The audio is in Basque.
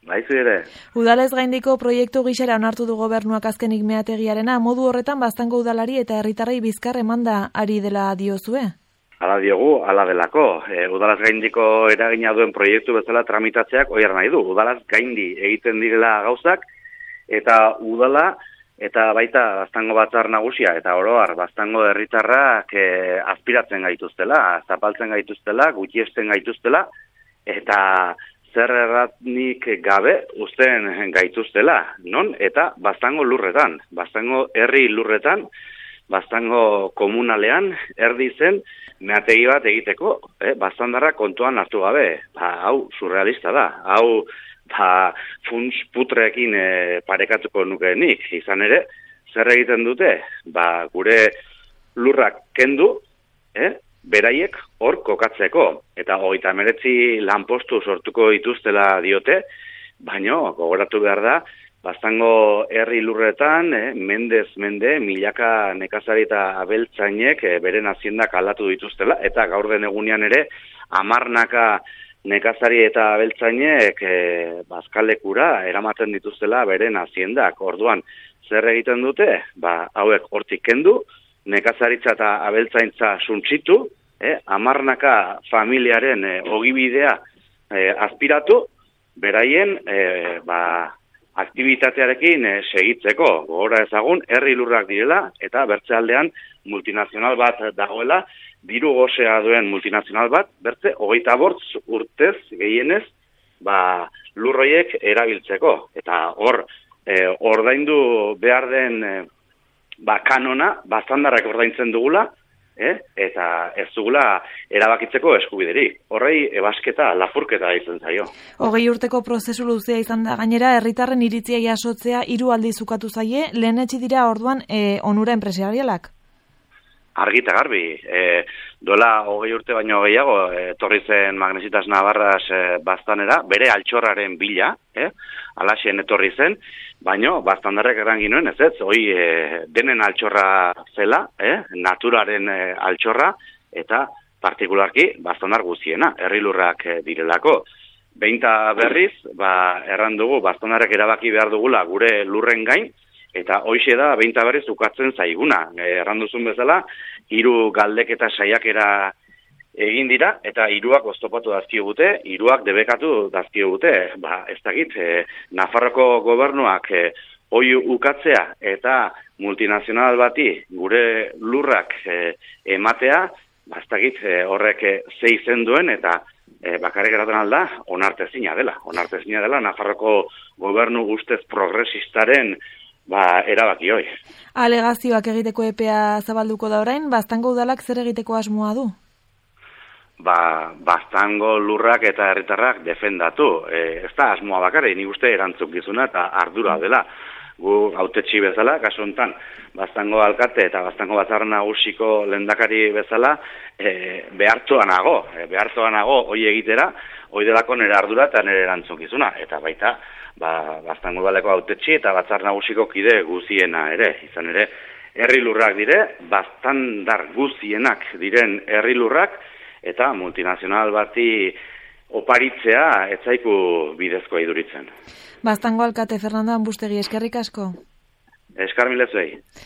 Baizu ere. Udalez gaindiko proiektu gisara onartu du gobernuak azkenik meategiarena, modu horretan Baztango udalari eta herritarrei bizkar emanda ari dela diozue? Hala diogu, hala delako. Udalaz gaindiko eragina duen proiektu bezala tramitatzeak oiar nahi du. Udalaz gaindi egiten direla gauzak, eta udala eta baita Baztango batzar nagusia eta oroar Baztango herritarrak aspiratzen gaituztela, zapaltzen gaituztela, gutxiesten gaituztela, eta zer erratnik gabe uzten gaituztela, non? Eta Baztango lurretan, Baztango herri lurretan, Baztango komunalean, erdi zen, meategi bat egiteko, Baztandarra kontuan hartu gabe. Hau surrealista da, hau funts putreekin parekatuko nukeenik. Izan ere, zer egiten dute? Gure lurrak kendu, beraiek hor kokatzeko. Eta 39 lanpostu sortuko dituztela diote, baina gogoratu behar da, Baztango herri lurretan, mendez mende, milaka nekazari eta abeltzainek beren haziendak aldatu dituztela, eta gaur den egunean ere, 10 nekazari eta abeltzainek bazkalekura eramaten dituztela beren haziendak. Orduan, zer egiten dute? Hauek hortik kendu, nekazaritza eta abeltzaintza suntsitu, 10 familiaren ogibidea azpiratu, beraien aktibitatearekin segitzeko. Gogora ezagun, herri lurrak direla, eta bertzealdean multinazional bat dagoela, diru gozea duen multinazional bat, bertze 25 urtez gehienez, lurroiek erabiltzeko. Eta hor, ordaindu behar den kanona, Baztandarrak ordaintzen dugula, eta ez dugula erabakitzeko eskubiderik. Horrei ebasketa, lapurketa izan zaio. 20 urteko prozesu luzea izan da gainera, herritarren iritzia jasotzea 3 aldiz ukatu zaie, lehenetsi dira orduan onura enpresarialak? Argi eta garbi. Duela 20 urte baino gehiago, etorri zen Magnesitas Navarras Baztanera, bere altxorraren bila, alaxen etorri zen, baino Baztandarrek eran ginoen, ez, hoi denen altxorra zela, naturaren altxorra, eta partikularki Baztandar guztiena, herri lurrak direlako. Beinta berriz, erran dugu, Baztandarrek erabaki behar dugula gure lurren gain, eta hoixe da beinta berriz ukatzen zaiguna. Erran duzun bezala, 3 galdeketa saiakera egin dira, eta 3 oztopatu dazkiogute, 3 debekatu dazkiogute. Ez dakit, Nafarroko gobernuak hoi ukatzea eta multinazional bati gure lurrak ematea, ez dakit horrek ze izen duen, eta bakarrik eraten alda, onartezina dela. Onartezina dela, Nafarroko gobernu ustez progresistaren erabaki hoi. Alegazioak egiteko epea zabalduko da orain, Baztango udalak zer egiteko asmoa du? Baztango lurrak eta herritarrak defendatu. Ez da asmoa bakarrik, nik uste erantzukizuna eta ardura dela. Gu hautetsi bezala, kasu honetan, Baztango alkate eta Baztango batzar nagusiko lehendakari bezala, behartuan nago hoi egitera, hoi delako nire ardura eta nire erantzukizuna. Eta baita, Baztango udaleko hautetsi eta batzar nagusiko kide guziena ere. Izan ere, herri lurrak dire, Baztandar guzienak diren herri lurrak, eta multinazional bati oparitzea ez zaiku bidezkoa iduritzen. Baztango alkate Fernando Anbustegi, eskerrik asko. Eskar milezuei.